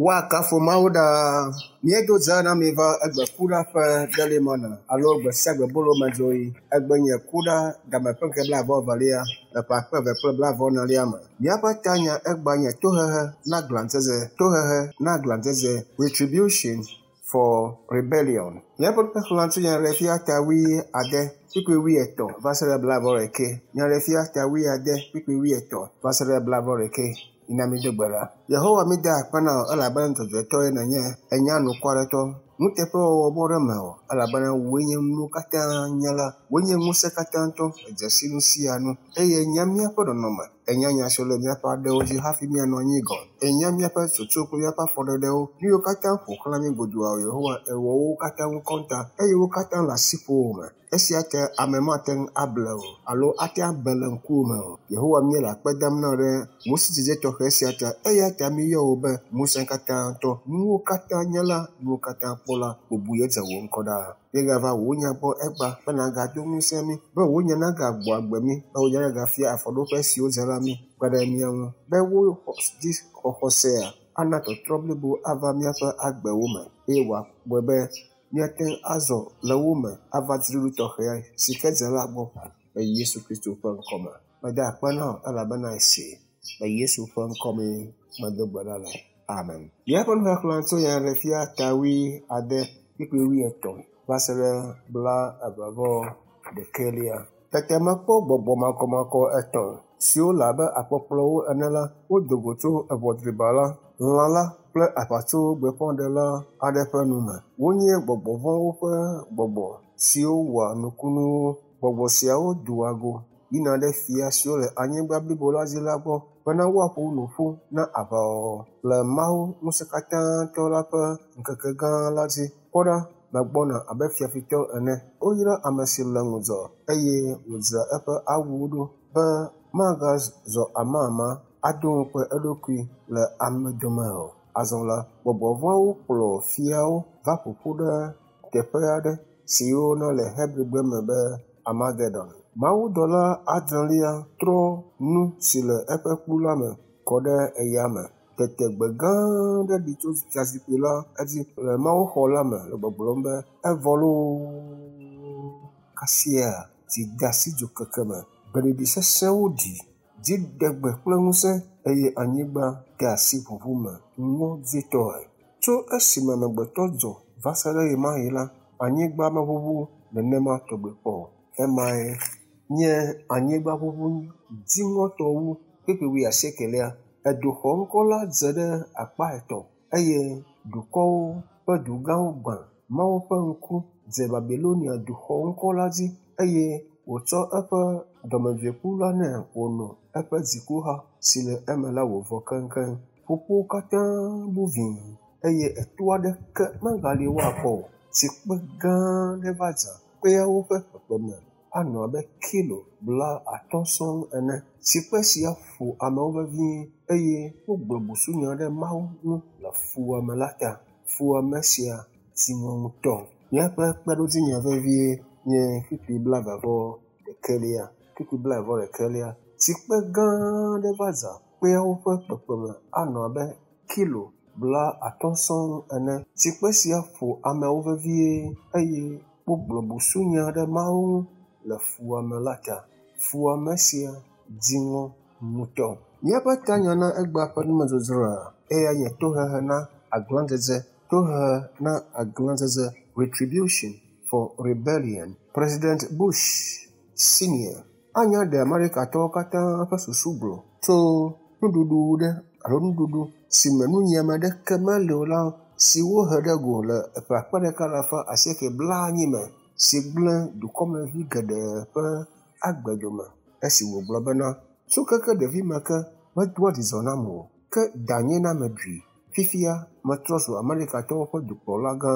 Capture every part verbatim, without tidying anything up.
Woakafu Mawu ɖaa. Míedo dze na mi va egbe kuɖa ƒe delimɔna alo gbe sia gbe bolomedzroɣi. Egbe nye kuɖa game ƒe ŋkeke blaeve evelia le ƒe akpe eve kple blaeve enelia me. Míaƒe tanya egba nye tohehe na glãdzedze. Tohehe na glãdzedze. Retribution for rebellion. Míaƒe nuxexlẽ tso nyaɖeɖefia ta wuiade kpukpui wuietɔ̃ va se ɖe blaeve ɖekɛ. Nyaɖeɖefia ta wuiade kpukpui wuietɔ̃ va se ɖe blaeve ɖekɛ. Mina mído gbe ɖa. Yehowa mída akpe na wò elabena dzɔdzɔetɔe nènye. Ènya nukwaretɔ. Nuteƒewɔwɔ bɔ ɖe mewò elabena wòe nye nuwo katã nyala. Wòe nye ŋusẽ katãtɔ. Èdze si nu sia nu eye ènya míaƒe nɔnɔme. Ènya nya siwo le míaƒe aɖewo dzi hafi míanɔ anyi gɔ̃. Ènya míaƒe tsotso kple míaƒe afɔɖeɖewo. Nu yiwo katã ƒo xlã mí godoo Yehowa èwɔ wo katã ŋu kɔnta eye wo katã le asiƒowò me. Esia ta ame mate ŋu able o alo ate abe le ŋkuwò me o. Yehowa míele akpe dam na wò ɖe wò sidzedze tɔxɛ sia ta eya ta míeyɔ wò be ŋusẽ katãtɔ, nuwo katã nyala, nuwo katã kpɔla, bubu ye dze wò ŋkɔ ɖaa. Míegava wò nya gbɔ egba be nàgado ŋusẽ mí, be wò nya nagagbɔ agbe mí, be wò nya nagafia afɔɖoƒe siwo dze la mí kpe ɖe mía ŋu, be wò dzi xɔxɔsea ana tɔtrɔ blibo ava míaƒe agbewo me eye wòawɔe be míate ŋu azɔ le wo me ava dziɖuɖu tɔxɛ si ke dze la gbɔ le Yesu Kristo ƒe ŋkɔme. Meda akpe na wò elabena èsee. Le Yesu ƒe ŋkɔmee medo gbe ɖa le. Amen. Míaƒe nuxexlẽ tso nyaɖeɖefia ta wuiade kpukpui wuietɔ̃ va se ɖe blaeve vɔ ɖekɛlia. Tete mekpɔ gbɔgbɔ makɔmakɔ etɔ̃ siwo le abe akpɔkplɔwo ene la, wodo go tso eʋɔ driba la, lã la kple aʋatsogbeƒãɖela aɖe ƒe nu me. Wonye gbɔgbɔ vɔ̃wo ƒe gbɔgbɔ siwo wɔa nukunuwo. Gbɔgbɔ siawo doa go yina ɖe fia siwo le anyigba blibo la dzi la gbɔ bena woaƒo nu ƒu na aʋawɔwɔ le Mawu ŋusẽkatãtɔ la ƒe ŋkeke gã la dzi. Kpɔ ɖa, megbɔna abe fiafitɔ ene. Woyra ame si le ŋudzɔ eye wòdzra eƒe awuwo ɖo be magazɔ amama ado ŋukpe eɖokui le ame dome o. Azɔ la, gbɔgbɔ vɔ̃awo kplɔ fiawo va ƒo ƒu ɖe teƒe aɖe si woyɔna le Hebrigbe me be Armagedon. Mawudɔla adrelia trɔ nu si le eƒe kplu la me kɔ ɖe eya me. Tete gbe gã aɖe ɖi tso fiazikpui la edzi le mawuxɔ la me le gbɔgblɔm be evɔ loo. Kasia dzi de asi dzokeke me. Gbeɖiɖi sesẽwo ɖi, dziɖegbe kple ŋusẽ eye anyigba de asi ʋuʋu me ŋɔdzitɔe. Tso esime amegbetɔ dzɔ va se ɖe ɣemaɣi la, anyigba meʋuʋu nenema tɔgbi kpɔ o. Emae nye anyigbaʋuʋu dziŋɔtɔ wu kpukpui wuiasiekelia. Eduxɔ ŋkɔ la dze ɖe akpa etɔ̃ eye dukɔwo ƒe dugãwo gbã. Mawu ƒe ŋku dze Babilonia duxɔ ŋkɔ la dzi eye wòtsɔ eƒe dɔmedzoekplu la nɛ wòno eƒe dzikuha si le eme la wòvɔ keŋkeŋ. Ƒukpowo katã bu vĩi eye eto aɖeke megali woakpɔ o. Tsikpe gã aɖe va dza. Kpeawo ƒe kpekpeme anɔ abe kilo bla atɔ̃ sɔŋ ene. Tsikpe sia ƒo amewo vevie eye wogblɔ busunya ɖe Mawu ŋu le fuwɔame la ta. Fuwɔame sia dziŋɔ ŋutɔ. Míaƒe kpeɖodzinya vevie nye kpukpui blaeve vɔ ɖekɛlia. Kpukpui blaeve vɔ ɖekɛlia. Tsikpe gã aɖe va dza. Kpeawo ƒe kpekpeme anɔ abe kilo bla atɔ̃ sɔŋ ene. Tsikpe sia ƒo amewo vevie eye wogblɔ busunya ɖe Mawu ŋu le fuwɔame la ta. Fuwɔame sia dziŋɔ ŋutɔ. Míaƒe tanya na egbea ƒe numedzodzroa eya nye tohehe na aglãdzedze. Tohehe na aglãdzedze. Retribution for rebellion. President Bush Senior anya ɖe Amerikatɔwo katã ƒe susu gblɔ tso nuɖuɖu ɖe alo nuɖuɖu si me nunyiame aɖeke mele o la si wohe ɖe go le ƒe akpe ɖeka alafa asieke blaenyi me si gblẽ dukɔmevi geɖe ƒe agbe dome esi wògblɔ bena tso keke ɖevime ke medoa dzidzɔ nam o ke danye na meɖui. Fifia metrɔ zu Amerikatɔwo ƒe dukplɔla gã.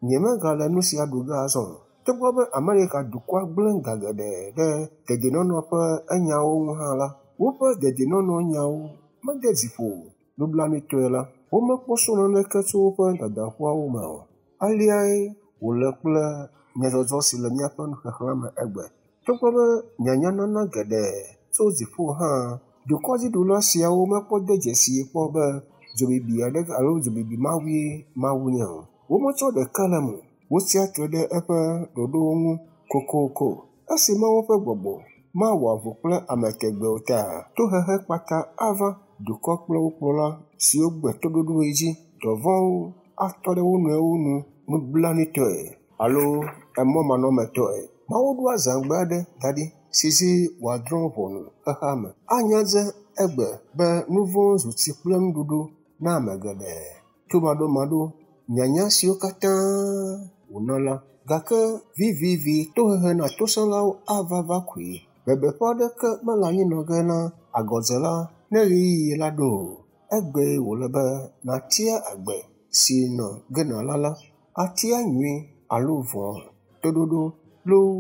Nyemegale nu sia ɖu ge azɔ o. Togbɔ be Amerika dukɔa gblẽ ga geɖe ɖe dedienɔnɔ ƒe enyawo ŋu hã la, woƒe dedienɔnɔ nyawo mede dzi ƒo o. Nublanuitɔe la, womekpɔ srɔ̃ naneke tso woƒe dadaƒuawo me o. Aleae wòle kple nyadzɔdzɔ si le míaƒe nuxexlẽ me egbe. Togbɔ be nyanyanana geɖe tso dziƒo hã, dukɔdziɖula siawo mekpɔ de dzesii kpɔ be Dzobibi aɖeke alo dzobibi mawue Mawu nye o. Wometsɔ ɖeka le eme o. Wotsia tre ɖe eƒe ɖoɖowo ŋu kokoko. Esi Mawu ƒe gbɔgbɔ mawɔ avu kple ame tegbee o ta, tohehe kpata ava dukɔ kple wo kplɔla siwo gbe toɖoɖoe dzi. Dɔvɔ̃wo atɔ ɖe wo nɔewo nu nublanuitɔe alo emɔmanɔmetɔe. Mawu ɖo azãgbe aɖe da ɖi si dzi wòadrɔ̃ ʋɔnu xexeame. Anya dze egbe be nu vɔ̃ zu tsi kple nuɖuɖu na ame geɖe. Tomaɖomaɖo, nyanya siwo katã wòna la, gake vivivi tohehe na tosẽlawo ava va koe. Bebeƒe aɖeke mele anyi nɔ ge na agɔdzela ne ɣeyiɣi la ɖo o. Egbee wòle be nàtia agbe si nɔ ge nàla la, atia nyui alo vɔ̃, toɖoɖo loo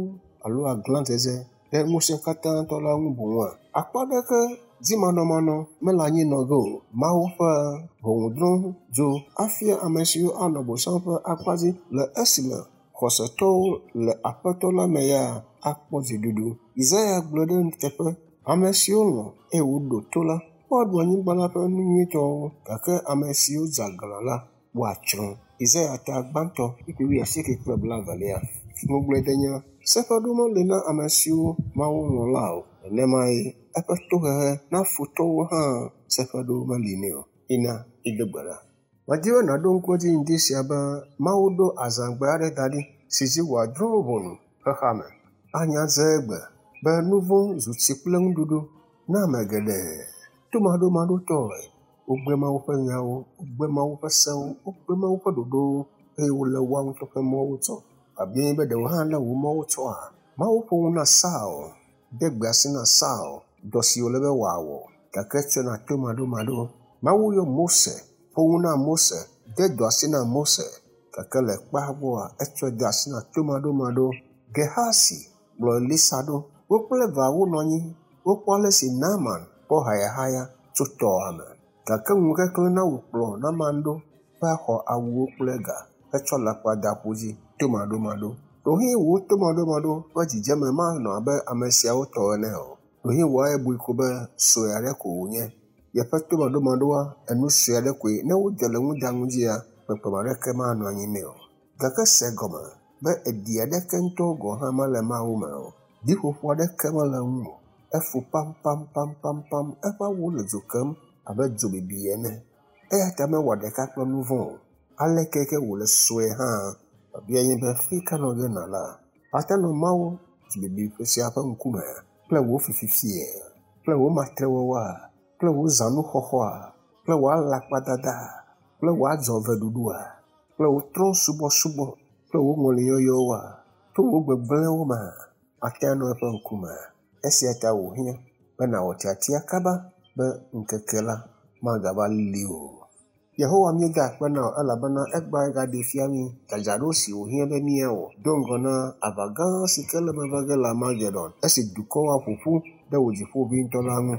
alo aglãdzedze ɖe ŋusẽkatãtɔ la ŋu boŋua? Akpa aɖeke dzimanɔmanɔ mele anyi nɔ ge o. Mawu ƒe ʋɔnudrɔ̃dzo afia ame siwo anɔ Bosam ƒe akpa dzi le esime xɔsetɔwo le Aƒetɔ la me ya akpɔ dziɖuɖu. Yesaya gblɔ ɖe teƒe ame siwo lɔ̃ eye woɖo to la, woaɖu anyigba la ƒe nu nyuitɔwo gake ame siwo dze aglã la, woatsrɔ̃. Yesaya ta gbãtɔ kpukpui wuiasieke kple blaevelia. Ŋugbledenya seƒeɖo meli na ame siwo Mawu lɔ̃ la o. Nenemae eƒe tohehe na futɔwo hã seƒeɖo meli nɛ o. Ina ido gbe ɖa. Medi be nàɖo ŋku edzi ŋdi sia be Mawu ɖo azãgbe aɖe da ɖi si dzi wòadrɔ̃ ʋɔnu xexeame. Anya dze egbe be nu vɔ̃ zu tsi kple nuɖuɖu na ame geɖe. Tomaɖomaɖotɔe wogbe Mawu ƒe nyawo, wogbe Mawu ƒe sewo, wogbe Mawu ƒe ɖoɖowo eye wole woa ŋutɔ ƒe mɔwo tsɔ. Abe be ɖewo hã lé wò mɔwo tsɔa? Mawu ƒo nu na Saul, de gbe asi na Saul dɔ si wòle be wòawɔ gake etsɔe na tomaɖomaɖo. Mawu yɔ Mose, ƒo nu na Mose, de dɔ asi na Mose gake le kpea gbɔa etsɔe de asi na tomaɖomaɖo. Gehasi kplɔ Elisa ɖo. Wo kple evea wonɔ anyi wokpɔ ale si Naaman kpɔ hayahaya tso tɔa me gake ŋukeklẽ na wòkplɔ Naaman ɖo va xɔ awuwo kple ga hetsɔ alakpa da ƒu dzi tomaɖomaɖo. Ɖewohĩ wò tomaɖomaɖo ƒe dzidzeme manɔ abe ame siawo tɔ ene o. Ɖewohĩ wò ebui ko be sue aɖe ko wònye. Yeƒe tomaɖomaɖoa enu sue aɖe koe ne wode le ŋudanu dzia kpekpeme aɖeke manɔ anyi nɛ o. Gake se gɔme be eɖi aɖeke ŋutɔ gɔ̃ hã mele Mawu me o. Ɖiƒoƒo aɖeke mele eŋu o. Efo pampampampampam eƒe awu le dzo kem abe dzobibi ene. Eya ta mewɔ ɖeka kple nu vɔ̃ o. Aleke ke wòle sue hã, biabia nye be fi ka nɔ ge nàla? Ate nɔ Mawu dzobibi ƒe sia ƒe ŋkume kple wò fififie, kple wò matrewɔwɔa, kple wò zãnuxɔxɔa, kple wò alakpadada, kple wò adzɔveɖuɖua, kple wò trɔ̃subɔsubɔ, kple wò ŋɔliyɔyɔwoa, kple wò gbegblẽwo mea? Ate anɔ eƒe ŋkume. Esia ta wòhiã be nàwɔ tiatia kaba be ŋkeke la magava li o. Yehowa míeda akpe na wò elabena egbea egaɖee fia mí dzadzraɖo si wòhiã be míawɔ do ŋgɔ na aʋa gã si ke le eme va ge le Armagedon esi dukɔwo aƒo ƒu ɖe wò dziƒoʋĩtɔ la ŋu.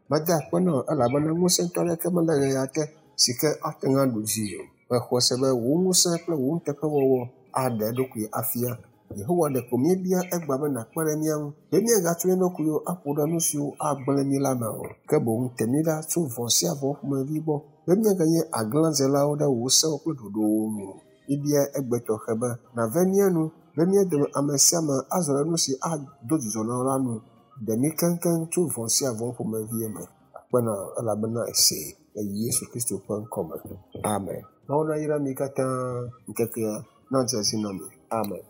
Meda akpe na wò elabena ŋusẽtɔ aɖeke mele ɣea te si ke ate ŋu aɖu dzi o. Mexɔe se be wò ŋusẽ kple wò nuteƒewɔwɔ aɖe eɖokui afia. Yehowa ɖeko míebia egbea be nàkpe ɖe mía ŋu be míagatsɔ mía ɖokuiwo aƒo ɖe nu siwo agblẽ mí la me o. Ke boŋ te mí ɖa tso vɔ̃ sia vɔ̃ ƒomevi gbɔ be míaganye aglãdzelawo ɖe wò sewo kple ɖoɖowo ŋu o. Míebia egbe tɔxɛ be nàve mía nu be mía dome ame sia ame azɔ ɖe nu si ado dzidzɔ na wò la nu. Ɖe mí keŋkeŋ tso vɔ̃ sia vɔ̃ ƒomevi me. Akpe na wò elabena èsee le Yesu Kristo ƒe ŋkɔme. Amen. Mawu nayra mi katã ŋkekea nadze edzi na mi. Amen.